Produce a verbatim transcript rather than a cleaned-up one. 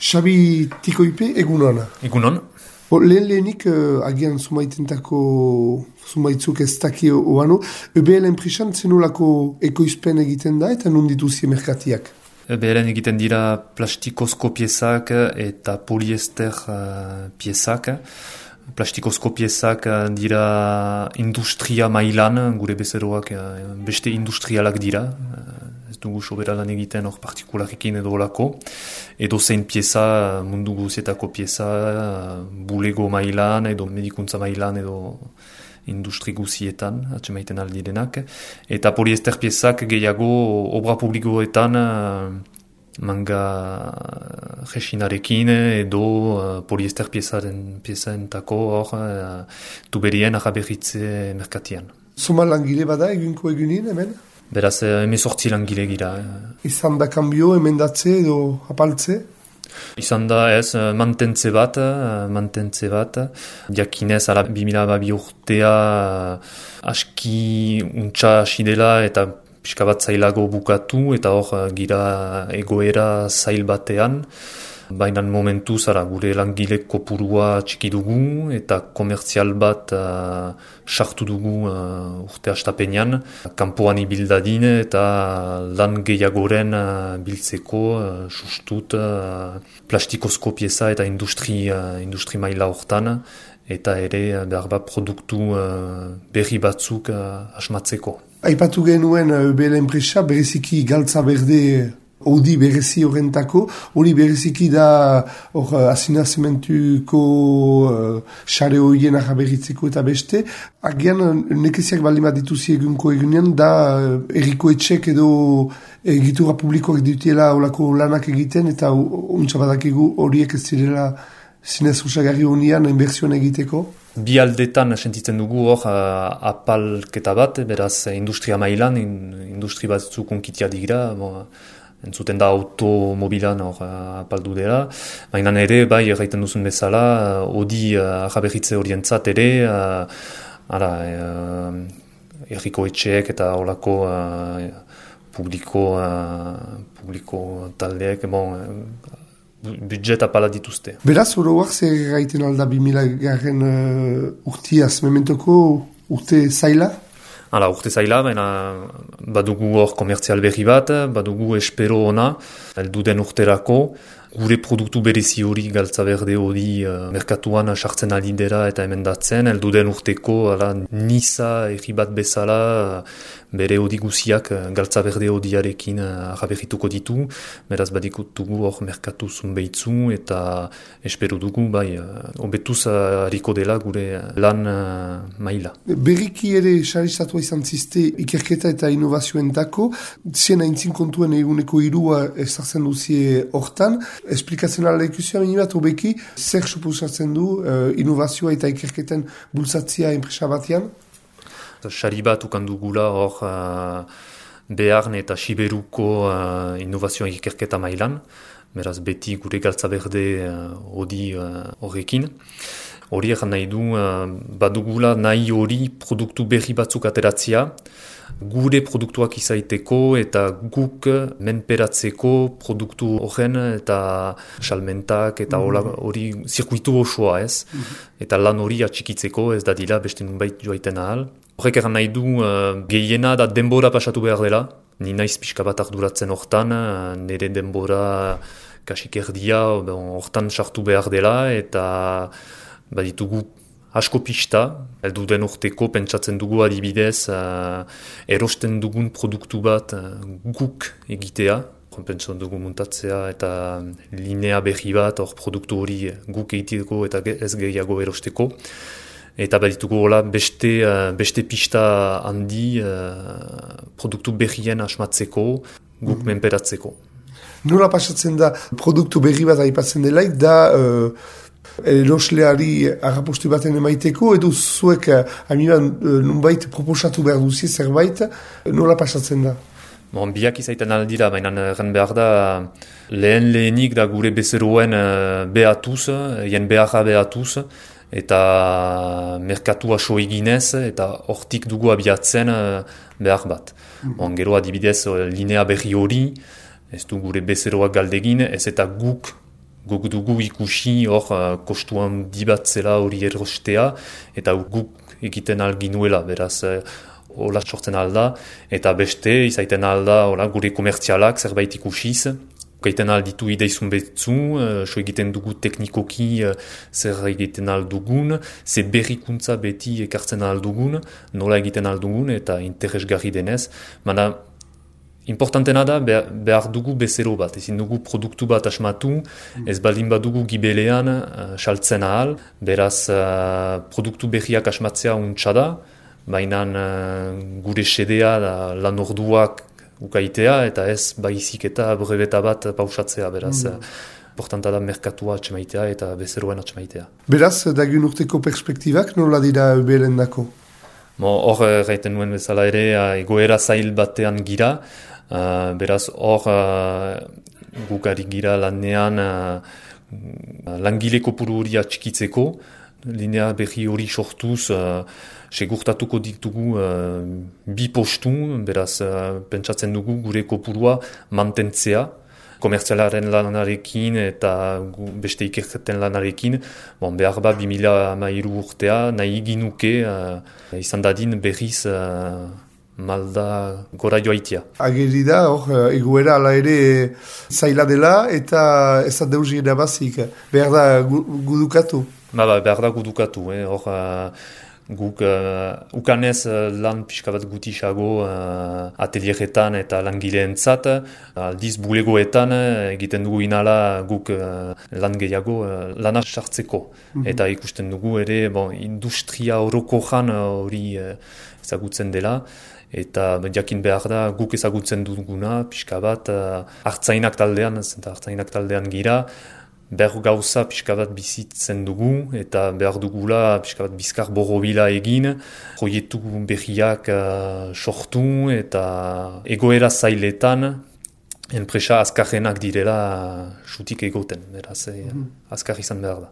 Xabi Tikoipe, egunon. Egunon. Lehen lehenik, uh, agian zumaitentako zumaitzuk ez daki oano, E B L enpresan zenolako ekoizpen egiten da eta non dituzie merkatiak? E B L egiten dira plastikozko piezak eta poliester uh, piezak. Plastikozko piezak dira industria mailan, gure bezeroak uh, beste industrialak dira. Ez dugu soberalan egiten hor partikularekin edo olako. Edo zein pieza, mundu guzietako pieza, bulego mailan edo medikuntza mailan edo industri guzietan, atxemaiten aldirenak. Eta poliester piezak gehiago obra publikoetan manga resinarekin edo poliester piezaren piezaentako hor tuberien araberritze merkatian. Zoma langile bada egunko egunin hemen? Beraz, emezortzi langile gira. Izan da kanbio, emendatze edo apaltze? Izan da ez, mantentze bat, mantentze bat. Diakinez, ala bi mila hamabi urtea aski untxa hasi dela eta pixka bat zailago bukatu eta hor gira egoera zail batean. Baina momentu zara gure langile kopurua txiki dugu eta komertzial bat uh, sartu dugu uh, urte hastapenean. Kanpoan ibildadin eta lan gehiagoren uh, biltzeko uh, sustut uh, plastikozko pieza eta industri, uh, industri maila hortan. Eta ere behar bat produktu uh, berri batzuk uh, asmatzeko. Aipatu genuen E B L enpresa bereziki galtza berde Odi berezi horrentako, hori bereziki da hor azinazementuko xare uh, horien araberritzeko eta beste. Agian nekeziak baldin bat dituzi egunko egunean da uh, erriko etxek edo egitura publikoak dutiela olako lanak egiten eta untsa badakigu horiek ez zirela zinez osagarri honian inbertsioan egiteko. Bi aldetan sentitzen dugu hor uh, apalketa bat, beraz industria mailan, in, industri batzuk onkitia digira, bon, entzuten da automobilan hor apaldu dela. Baina ere, bai, erraiten duzun bezala, hodi uh, araberritze horientzat ere, uh, ara, uh, erriko etxeek eta holako uh, publiko, uh, publiko taldeek, bon, uh, budget apala dituzte. Beraz, oroak zer gaiten alda bi mila garren uh, urtiaz, mementoko urte zaila? Hala, urte zaila, baina badugu hor komertzial berri bat, badugu espero ona, elduden urterako, gure produktu berezi hori galtza berde hori uh, merkatuan sartzen alidera eta emendatzen, elduden urteko ala, nisa erri bat bezala uh, bere hori guziak uh, galtza berde horiarekin uh, araberrituko ditu, beraz badikutugu hor merkatu zunbeitzu eta espero dugu, bai, hobetuz uh, hariko dela gure lan uh, maila. Berriki ere saristatua izan ziste ikerketa eta inovazioentako, zien aintzin kontuen eguneko irua ezartzen duzie hortan, esplikatzen ala ikusia minibat hobeki, zer suposatzen du uh, inovazioa eta ikerketen bultzatzia enpresa batean? Sari bat ukandugula hor uh, Bearn eta Siberuko uh, inovazioa ikerketa mailan, beraz beti gure galtza berde hori uh, horrekin. Hori egan nahi du, uh, badugula nahi hori produktu berri batzuk ateratzea, gure produktuak izaiteko eta guk menperatzeko produktu horren eta salmentak eta mm-hmm. hori zirkuitu osoa ez. Mm-hmm. Eta lan hori atxikitzeko ez da dira beste nunbait joaiten ahal. Horrek egan nahi du uh, gehiena da denbora pasatu behar dela. Ni naiz pixka bat arduratzen hortan, uh, nire denbora kasik erdia hortan sartu behar dela eta baditugu asko pista, heldu den urteko pentsatzen dugu adibidez uh, erosten dugun produktu bat uh, guk egitea, pentsatzen dugu muntatzea eta linea berri bat hor produktu hori guk egiteko eta ez gehiago erosteko. Eta baditugu hola beste, uh, beste pista handi uh, produktu berrien asmatzeko, guk mm-hmm. menperatzeko. Nola pasatzen da produktu berri bat aipatzen delaik da uh, erosleari arrapostu baten emaiteko, edo zuek amiban uh, nunbait proposatu behar duzi zerbait, nola pasatzen da? Bon, biak izaiten aldira, baina erren behar da lehen lehenik da gure bezeroen uh, behatuz, jen beharra behatuz, eta merkatua so eginez, eta hortik dugu abiatzen uh, behar bat. Mm. Bon, gero adibidez linea berri hori, ez du gure bezeroak galdegin, ez eta guk guk dugu ikusi hor uh, kostuan dibat zela hori erostea, eta guk egiten alginuela, beraz, uh, hola sortzen alda, eta beste, izaiten alda, hola, gure komertzialak zerbait ikusiz, gaiten alditu ideizun betzu, uh, so egiten dugu teknikoki uh, zer egiten aldugun, ze berrikuntza beti ekartzen aldugun, nola egiten aldugun, eta interesgarri denez. Mana, importantena da, behar dugu bezero bat, ezin dugu produktu bat asmatu, ez baldin badugu gibelean uh, saltzen ahal, beraz uh, produktu berriak asmatzea untsa da, baina uh, gure sedea da lan orduak ukaitea, eta ez baizik eta brebeta bat pausatzea, beraz, mm. importanta da merkatua atxemaitea eta bezeroen atxemaitea. Beraz, dagiun urteko perspektibak nola dira eubelen dako? Hor, gaiten nuen bezala ere, egoera zail batean gira, uh, beraz, hor, uh, gukari gira lanean uh, langile kopuru hori atxikitzeko, linea berri hori sortuz, uh, segurtatuko ditugu uh, bi postu, beraz, uh, pentsatzen dugu gure kopurua mantentzea, komertzialaren lanarekin eta beste ikerketen lanarekin, bon, behar ba bi mila hamairu urtea nahi ginuke uh, izan dadin berriz uh, malda gora joaitia. Ageri da, hor, egoera ala ere zaila dela eta ez da deus irabazik, behar da gudukatu. Ba, ba, behar da gudukatu, eh? Hor, uh, guk uh, ukanez uh, lan pixka bat gutisago uh, atelieretan eta langileentzat, aldiz bulegoetan uh, egiten dugu inala guk uh, lan gehiago uh, lana sartzeko. Mm-hmm. Eta ikusten dugu ere bon, industria orokojan hori uh, ezagutzen dela, eta jakin behar da guk ezagutzen duguna pixka bat uh, hartzainak taldean, zenta hartzainak taldean gira, behar gauza pixka bat bizitzen dugu, eta behar dugula pixka bat bizkar borrobila egin, proiektu berriak uh, sortu, eta egoera zailetan, enpresa azkarrenak direla xutik egoten, beraz, mm-hmm. azkar izan behar da.